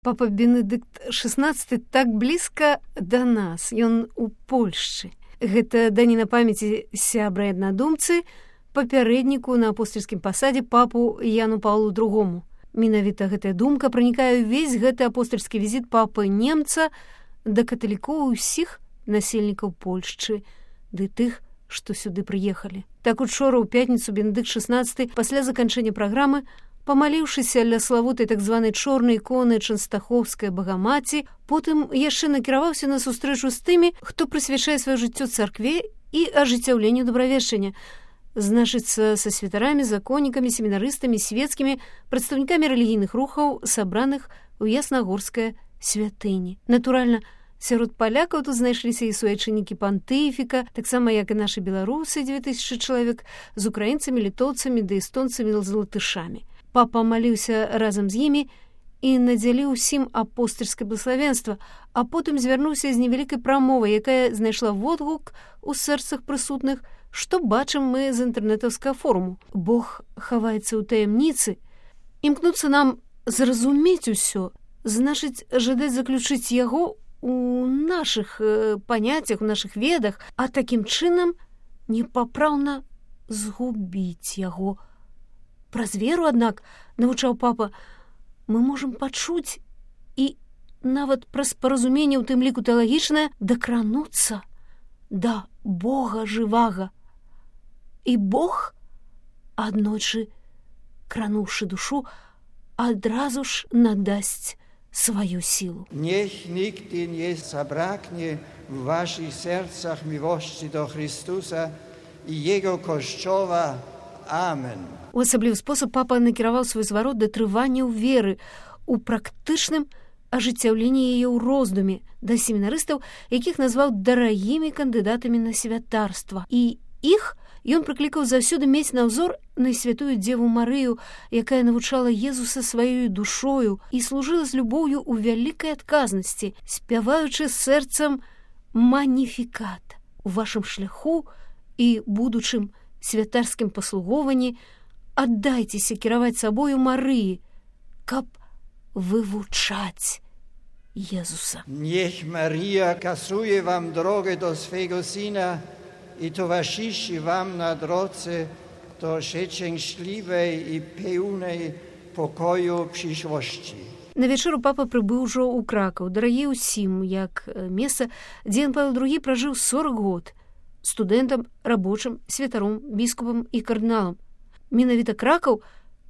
Папа Бенедыкт XVI так блізка да нас, ён у Польшчы. Гэта даніна памяці сябра і аднадумцы, папярэдніку на апостальскім пасадзе папу Яну Паўлу II. Менавіта гэтая думка пранікае ўвесь гэты апостальскі візіт папы немца да каталікоў усіх насельнікаў Польшчы, ды тых, што сюды прыехалі. Так учора ў пятніцу Бенедыкт XVI пасля заканчэння праграмы, памаліўшыся ля славутай так званай чорнай іконы Чэнстахоўскай Багамаці, потым яшчэ накіраваўся на сустрэчу з тымі, хто прысвячае сваё жыццё царкве і ажыццяўленню добравешчання. Значыцца, са святарамі, законнікамі, семінарыстамі, свецкімі, прадстаўнікамі рэлігійных рухаў, сабраных у Яснагорскай святыні. Натуральна, сярод палякаў тут знайшліся і суайчыннікі пантыфіка, таксама як і нашы беларусы, 2000 чалавек, з украінцамі, літоўцамі ды эстонцамі з латышамі. Папа маліўся разам з імі і надзяліў усім апостальскае блаславенства, а потым звярнуўся з невялікай прамовай, якая знайшла водгук у сэрцах прысутных, што бачым мы з інтэрнэтаўскага форуму. Бог хаваецца ў таямніцы. Імкнуцца нам зразумець усё, значыць, жадаць заключыць яго у нашых паняццях, у нашых ведах, а такім чынам непапраўна згубіць яго. Праз веру, аднак, навучаў папа, мы можам пачуць і нават праз паразуменне, у тым ліку тэалагічнае, дакрануцца да Бога жывага. І Бог, аднойчы крануўшы душу, адразу ж надасць сваю сілу. Niech nigdy nie zabraknie w waszych sercach miłości do Chrystusa i Jego Kościoła. Amen. У асаблівы спосаб папа накіраваў свой зварот да трывання ў веры, у практычным ажыццяўленні яе ў роздуме, да семінарыстаў, якіх назваў дарагімі кандыдатамі на святарства. І іх ён прыклікаў заўсёды мець на ўзор найсвятую Дзеву Марыю, якая навучала Езуса сваёю душою і служыла з любоўю ў вялікай адказнасці, спяваючы сэрцам маніфікат у вашым шляху і будучым святарскім паслугованні. Аддайцеся кіраваць сабою Марыі, каб wywuczać Jezusa. Niech Maria kasuje wam drogę do swego Syna i towarzyszy wam na drodze do szczęśliwej i pełnej pokoju przyszłości. На вечеру папа прыбыў ужо ў Кракаў, дарагі ўсім, як месца, дзе Ян Павел II пражыў 40 год, студэнтам, рабочым, святаром, біскупам і кардыналам. Менавіта Кракаў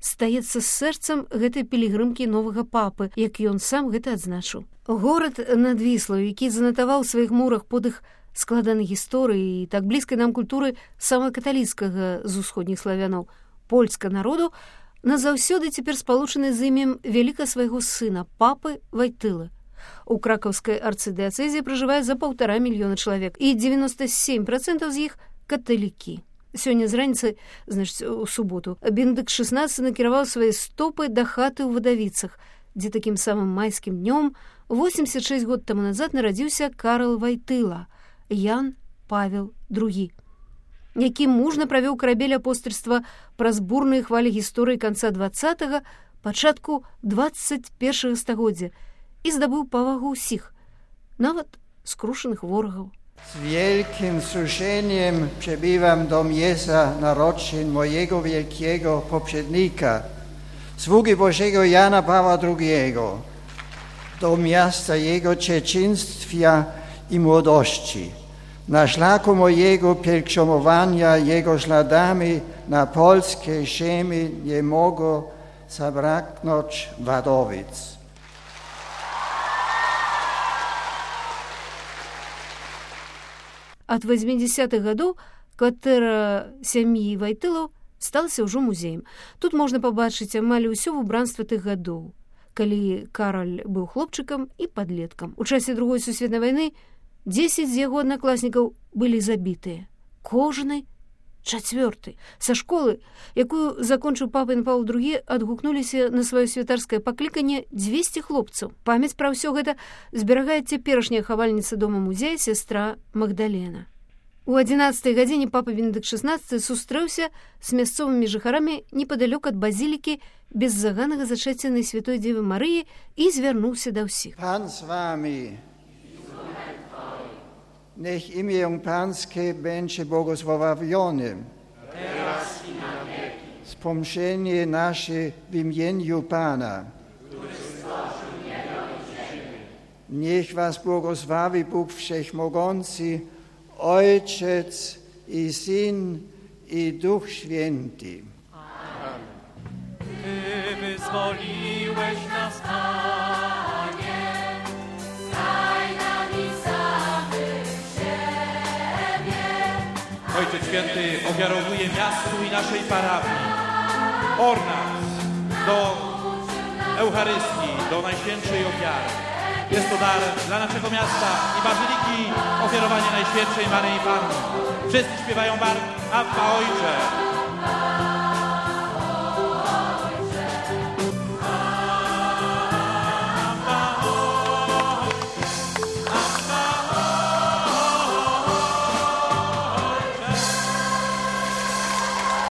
стаецца сэрцам гэтай пілігрымкі новага папы, як ён сам гэта адзначыў. Горад над Віслаю, які занатаваў у сваіх мурах подых складанай гісторыі і так блізкай нам культуры самага каталіцкага з усходніх славянаў, польска народу, назаўсёды цяпер спалучаны з імем вяліка свайго сына, папы Вайтылы. У кракаўскай арцыдыяцэзе пражывае за 1,5 мільёна чалавек, і 97% з іх каталікі. Сёння з раніцы, значыць, у суботу, Бенедыкт XVI накіраваў свае стопы да хаты ў Вадавіцах, дзе такім самым майскім днём 86 год таму назад нарадзіўся Карл Вайтыла, Ян Павел II, які мужна правёў карабель апостальства праз бурныя хвалі гісторыі канца 20-га, пачатку 21-га стагоддзя і здабыў павагу ўсіх, нават скрушаных ворагаў. Z wielkim wzruszeniem przebywam do miejsca narodzin mojego wielkiego poprzednika, sługi Bożego Jana Pawła II, do miasta jego dzieciństwa i młodości. Na szlaku mojego pielgrzymowania jego śladami na polskie ziemi nie mogło zabraknąć Wadowic. Ад 80-х гадоў кватэра сям'і Вайтылаў сталася ўжо музеем. Тут можна пабачыць амаль усё выбранства тых гадоў, калі Караль быў хлопчыкам і падлеткам. У часе Другой сусветнай вайны 10 з яго аднакласнікаў былі забітыя. Кожны 4. Са школы, якую закончыў папа Ян Павел II, адгукнуліся на сваё святарскае пакліканне 200 хлопцаў. Памяць пра ўсё гэта зберагае цяперашняя хавальніца дома-музея сястра Магдалена. У 11-й гадзіне папа Бенедыкт XVI сустрэўся з мясцовымі жыхарамі непадалёк ад базілікі беззаганнага зачацця Найсвятой Дзевы Марыі і звярнуўся да ўсіх. Пан з вами. Niech imię Pańskie będzie błogosławione. Teraz i na wieki. Wspomnienie nasze w imieniu Pana. Który stworzył niebo i ziemię. Niech was błogosławi Bóg Wszechmogący, Ojciec i Syn i Duch Święty. Amen. Ty wyzwoliłeś nas, Panie, daj nam i samych siebie. Ojciec Święty ofiarowuje miastu i naszej parafii ornac do Eucharystii, do Najświętszej Ofiary. Jest to dar dla naszego miasta i bazyliki, ofiarowanie Najświętszej Maryi Panny. Wszyscy śpiewają barw Abba Ojcze.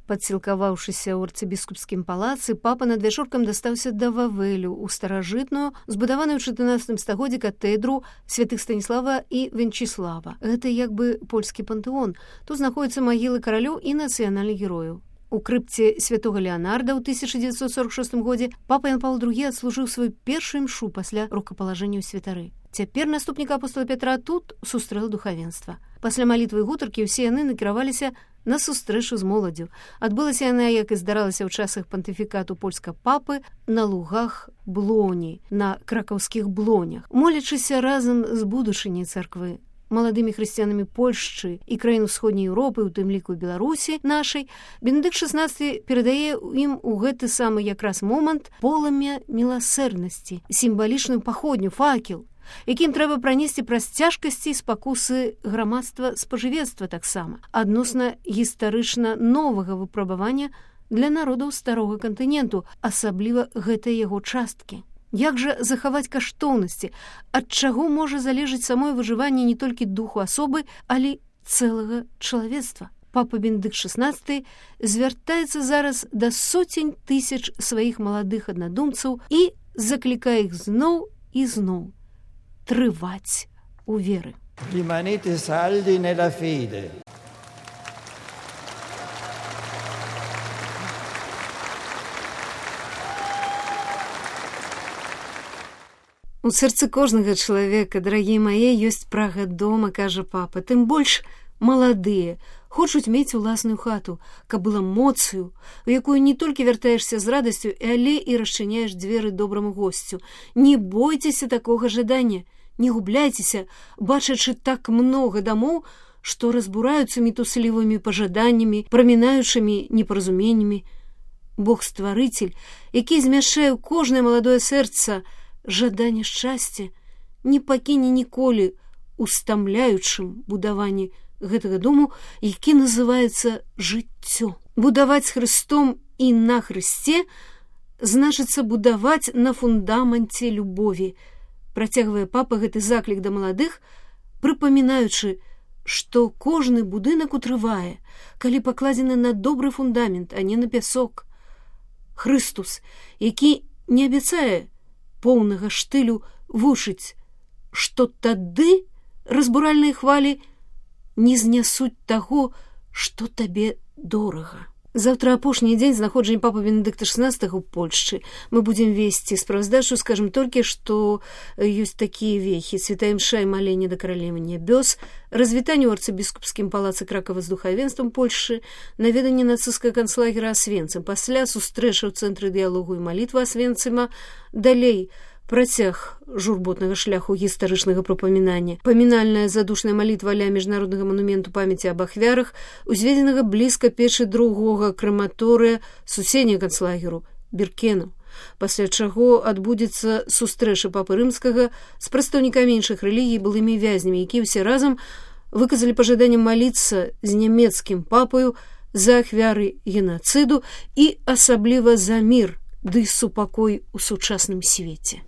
Падсілкаваўшыся ў арцыбіскупскім палацы, папа над вячоркам дастаўся да Вавелю, у старажытную, збудаваную ў 14 стагоддзі катэдру святых Станіслава і Венчыслава. Гэта як бы польскі пантэон. Тут знаходзяцца магілы каралёў і нацыянальных герояў. У крыпце святога Леанарда ў 1946 годзе папа Ян Павел II адслужыў сваю першую імшу пасля рукапалажэння ў святары. Цяпер наступнік апостола Пятра тут сустрэў духавенства. Пасля малітвы і гутаркі ўсе яны накіраваліся на сустрэчу з моладдзю. Адбылася яна, як і здаралася ў часах пантыфікату польскага папы, на лугах Блоні, на кракаўскіх блонях, молячыся разам з будучыняй царквы, маладымі хрысціянамі Польшчы і краін усходняй Еўропы, у тым ліку Беларусі нашай, Бенедыкт XVI перадае ім у гэты самы якраз момант полымя міласэрнасці, сімвалічную паходню, факел, якім трэба пранесці праз цяжкасці і спакусы грамадства спажывецтва таксама, адносна гістарычна новага выпрабавання для народаў старога кантыненту, асабліва гэтай яго часткі. Як жа захаваць каштоўнасці, ад чаго можа залежаць самое выжыванне не толькі духу асобы, але цэлага чалавецтва? Папа Бенедыкт XVI звяртаецца зараз да сотень тысяч сваіх маладых аднадумцаў і заклікае іх зноў і зноў трываць у веры. Rimanete saldi nella fede. У сэрцы кожнага чалавека, дарагія мае, ёсць прага дома, кажа папа. Тым больш маладыя хочуць мець уласную хату, каб была моцаю, у якую не толькі вяртаешся з радасцю, але і расчыняеш дзверы добраму госцю. Не бойцеся такога жадання, не губляйцеся, бачачы так многа дамоў, што разбураюцца мітуслівымі пажаданнямі, прамінаючымі непаразуменнямі. Бог-стварыцель, які змяшчае ў кожнае маладое сэрца жаданне шчасця, не пакіне ніколі ў стамляючым будаванні гэтага дому, які называецца жыццё. Будаваць з Хрыстом і на Хрысце значыцца будаваць на фундаменце любові. Працягвае папа гэты заклік да маладых, прыпамінаючы, што кожны будынак утрывае, калі пакладзены на добры фундамент, а не на пясок. Хрыстус, які не абяцае поўнага штылю, вучыць, што тады разбуральныя хвалі не знясуць таго, што табе дорага. Заўтра апошні дзень знаходжання папы Бенедыкта XVI ў Польшчы. Мы будзем весці справаздачу, скажам толькі, што ёсць такія вехі: святая імша і маленне да каралевы нябёс, развітанне ў арцыбіскупскім палацы Кракава з духавенствам Польшчы, наведанне нацысцкага канцлагера Асвенцым, пасля сустрэча ў цэнтры дыялогу і малітва Асвенцыма, далей працяг журботнага шляху гістарычнага прапамінання, памінальная задушная малітва ля міжнароднага манументу памяці аб ахвярах, узведзенага блізка печы другога крэматорыя суседняга канцлагеру Біркенаў, пасля чаго адбудзецца сустрэча папы рымскага з прадстаўнікамі іншых рэлігій, былымі вязнямі, якія ўсе разам выказалі пажаданне маліцца з нямецкім папаю за ахвяры генацыду і асабліва за мір ды супакой у сучасным свеце.